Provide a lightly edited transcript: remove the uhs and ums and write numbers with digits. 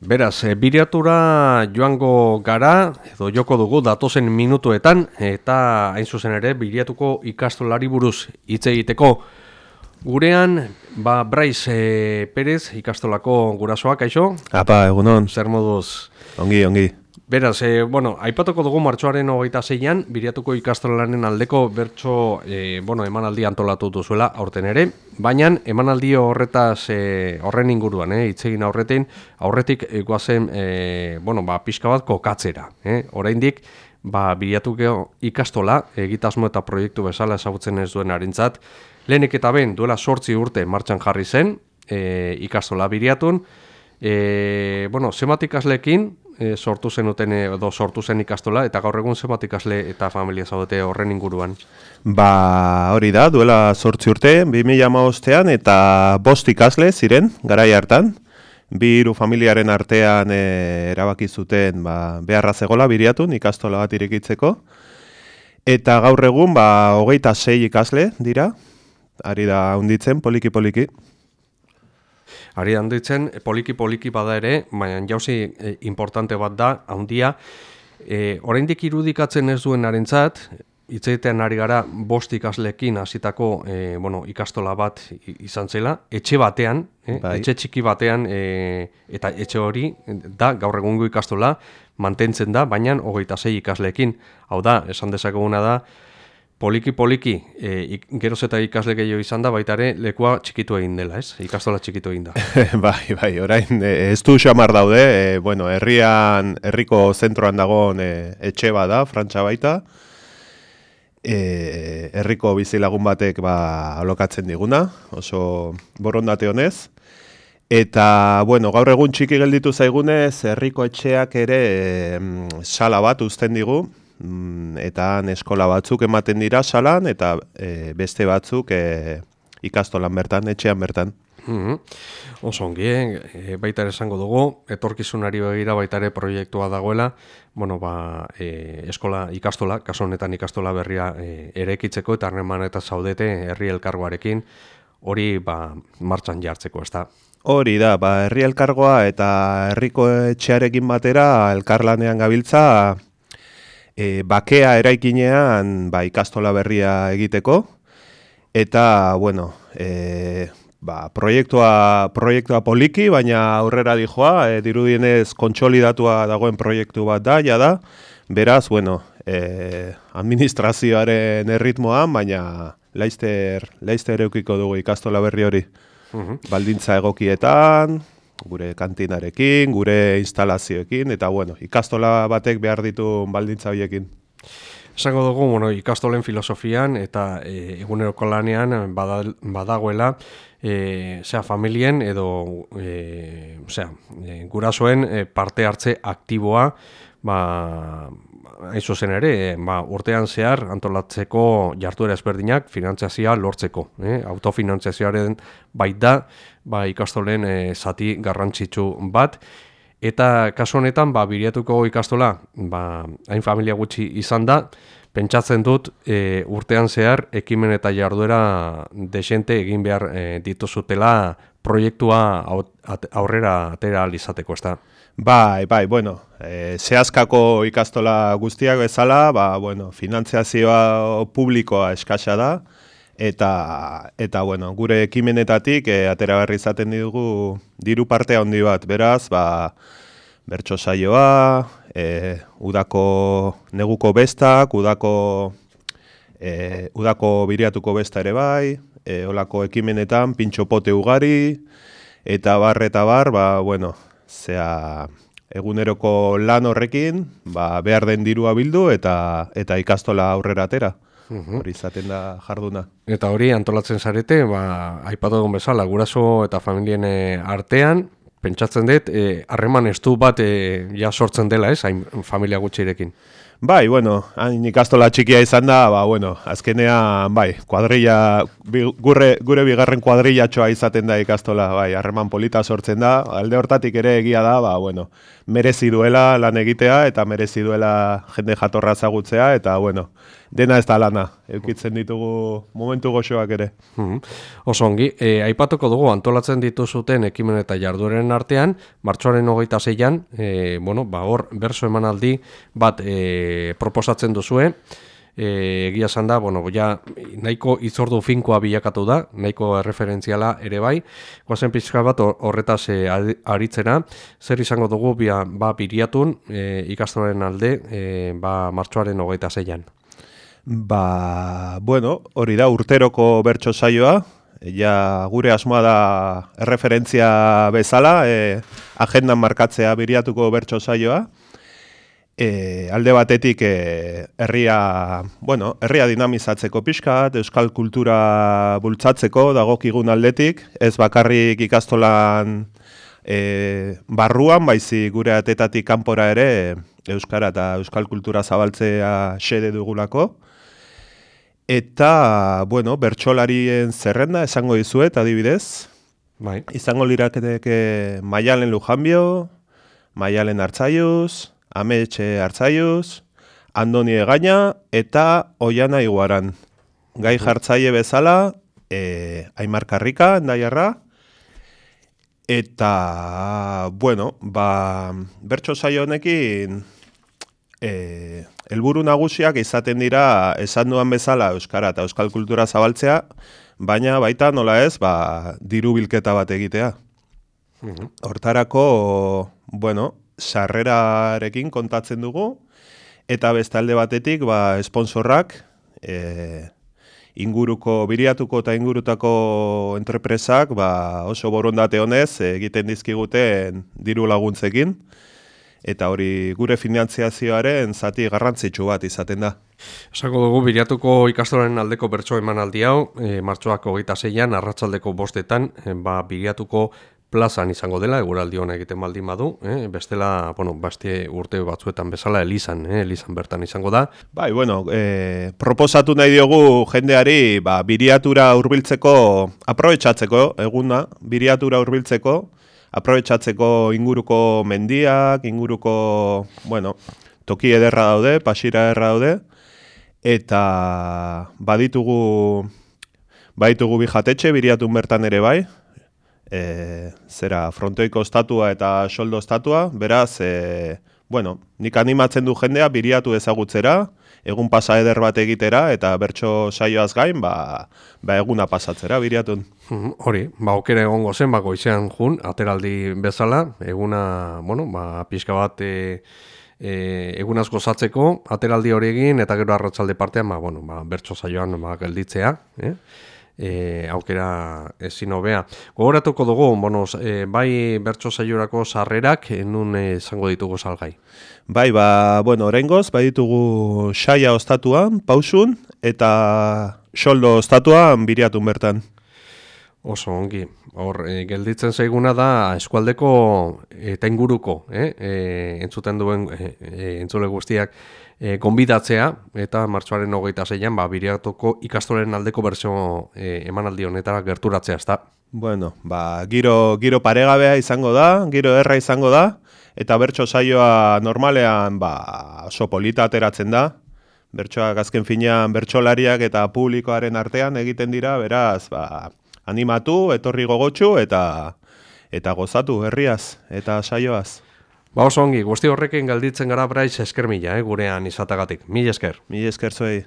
Beraz, biriatura joango gara, edo joko dugu datozen minutuetan, eta hain zuzen ere, biriatuko ikastolari buruz hitz egiteko. Gurean, Braiz Perez ikastolako gurasoak, kaixo? Apa, egunon. Zer moduz? Ongi. Beraz, aipatuko dugu martxoaren 26an, biriatuko ikastolaren aldeko bertso, emanaldi antolatu duzuela aurten ere, baina emanaldi horretaz, horren inguruan, hitz egin aurretik goazen, pixka bat kokatzera. Oraindik, biriatuko ikastola, egitasmo eta proiektu bezala ezagutzen ez duen harintzat, lehenik eta ben duela 8 urte martxan jarri zen, ikastola biriatun, zenbat ikasleekin, sortu zen ikastola, eta gaur egun zenbat ikasle eta familia zaudete horren inguruan? Hori da, duela 8 urte, 2015ean, eta 5 ikasle ziren, garai hartan. 2 familiaren artean erabaki zuten beharra zegola biriatun ikastola bat irekitzeko. Eta gaur egun 26 ikasle dira, ari da hunditzen poliki-poliki. Ari handitzen, poliki bada ere, baina jauzi importante bat da, handia. Oraindik irudikatzen ez duen harentzat, hitz egitean ari gara 5 ikasleekin hasitako ikastola bat izan zela, etxe batean, etxe txiki batean, eta etxe hori da gaur egungo ikastola mantentzen da, baina 26 ikasleekin. Hau da, esan dezakeguna da, poliki, geroz eta ikasle gehiago izan da, baita ere lekua txikitu egin dela, ez? Ikastola txikitu egin da. Bai, orain ez du xamar daude, herriko zentroan dagoen etxe bada, Frantxa baita, herriko bizilagun batek alokatzen diguna, oso borondate honez. Eta, gaur egun txiki gelditu zaigunez, herriko etxeak ere sala bat uzten digu, eta eskola batzuk ematen dira salan, eta beste batzuk ikastolan bertan, etxean bertan. Oso ongi, baita ere esango dugu, etorkizunari begira baita ere proiektua dagoela, ikastola, kasu honetan ikastola berria eraikitzeko eta harreman eta zaudete herri elkargoarekin, hori martxan jartzeko, ez da? Hori da, herri elkargoa eta herriko etxearekin batera elkarlanean gabiltza, bakea eraikinean ikastola berria egiteko, eta, proiektua poliki, baina aurrera dijoa, dirudienez kontsolidatua dagoen proiektu bat da, jada, beraz, administrazioaren erritmoan, baina laizter eukiko dugu ikastola berri hori. Baldintza egokietan, gure kantinarekin, gure instalazioekin, eta ikastola batek behar ditu baldintza horiekin. Esango dugu, ikastolen filosofian eta eguneroko lanean badagoela, familien edo gurasoen parte hartze aktiboa, hain zuzen ere, urtean zehar antolatzeko jarduera ezberdinak finantziazioa lortzeko. Autofinantziazioaren baita ikastolen zati garrantzitsu bat. Eta kasu honetan, biriatuko ikastola, hain familia gutxi izan da, pentsatzen dut urtean zehar ekimen eta jarduera desente egin behar dituzutela proiektua aurrera atera alizateko, ez da? Bai, zehazkako ikastola guztiak bezala, finantziazioa publikoa eskasa da, eta gure ekimenetatik atera berri izaten dugu diru parte handi bat, beraz, bertso saioa, udako neguko bestak, udako biriatuko besta ere bai, olako ekimenetan pintxopote ugari, eta bar, eguneroko lan horrekin, behar den dirua bildu eta ikastola aurrera atera. Hori izaten da jarduna. Eta hori antolatzen zarete, aipatu egun bezala, guraso eta familien artean, pentsatzen dut, harreman estu bat sortzen dela, ez, hain familia gutxirekin. Bai, hain ikastola txikia izan da, azkenean, kuadrilla, gure bigarren kuadrillatxoa izaten da ikastola, harreman polita sortzen da, alde hortatik ere egia da, merezi duela lan egitea, eta merezi duela jende jatorra ezagutzea, eta, dena ez da lana, eukitzen ditugu momentu goxoak ere. Oso ongi, aipatuko dugu antolatzen dituzuten ekimen eta jardueren artean, martxoaren 26an, hor berso emanaldi bat proposatzen duzue, egia esan da, nahiko itzordu finkoa bilakatu da, nahiko erreferentziala ere bai, goazen pixka bat horretaz aritzera, zer izango dugu biriatun ikastoren alde martxoaren 26an. Hori da urteroko bertso saioa, gure asmoa da erreferentzia bezala, agendan markatzea biriatuko bertso saioa, alde batetik herria dinamizatzeko pixkat, euskal kultura bultzatzeko dagokigun aldetik, ez bakarrik ikastolan barruan, baizik gure atetatik kanpora ere euskara eta euskal kultura zabaltzea xede dugulako. Eta, bertsolarien zerrenda esango dizuet, adibidez. Bai. Izango liraketeke Maialen Lujanbio, Maialen Artzaiuz, Ametxe Artzaiuz, Andoni Egaña eta Oiana Iguaran. Gai jartzaile bezala, Aimar Karrika, endaiarra. Eta, bertso saio honekin helburu nagusiak izaten dira esan duan bezala euskara eta euskal kultura zabaltzea, baina baita nola ez, diru bilketa bat egitea. Hortarako, sarrerarekin kontatzen dugu, eta bestalde batetik, esponsorrak, biriatuko eta ingurutako entrepresak, oso borondate honez egiten dizkiguten diru laguntzekin, eta hori gure finantziazioaren zati garrantzitsu bat izaten da. Esako dugu, biriatuko ikastolaren aldeko bertso emanaldi hau, martxoak 26an, arratsaldeko 5etan, biriatuko plazan izango dela, eguraldi hona egiten baldin badu, bestela, urte batzuetan bezala, elizan bertan izango da. Proposatu nahi diogu jendeari, biriatura hurbiltzeko, aprobetxatzeko, eguna, biriatura hurbiltzeko, aprobetxatzeko inguruko mendiak, inguruko, toki ederra daude, pasira ederra daude, eta baditugu bi jatetxe, biriatun bertan ere bai, frontoiko estatua eta soldo estatua, beraz, nik animatzen du jendea biriatu ezagutzera, egun pasa eder bat egitera, eta bertso saioaz gain, eguna pasatzera biriatun. Hori, okera egongo zen, goizean jun, ateraldi bezala, eguna, pixka bat egunaz gozatzeko, ateraldi hori egin, eta gero arratsalde partean, bertso saioan gelditzea, aukera ezin hobea. Gogoratuko dugu, bai bertso saiorako sarrerak, nun izango ditugu salgai? Oraingoz, ditugu saia ostatuan, pausun, eta soldo ostatuan biriatun bertan. Oso ongi. Hor, gelditzen zaiguna da eskualdeko eta inguruko, entzuten duen entzule guztiak gonbidatzea, eta martxoaren 26an biriatuko ikastolen aldeko bertsio emanaldi honetara gerturatzea, ezta? Giro paregabea izango da, giro erra izango da, eta bertso saioa normalean oso polita ateratzen da. Bertsoak azken finean bertsolariak eta publikoaren artean egiten dira, beraz, animatu, etorri gogotsu eta gozatu herriaz eta saioaz. Oso ongi, guzti horrekin galditzen gara Braiz, esker mila, gurean izatagatik. Mila esker. Mila esker zuei.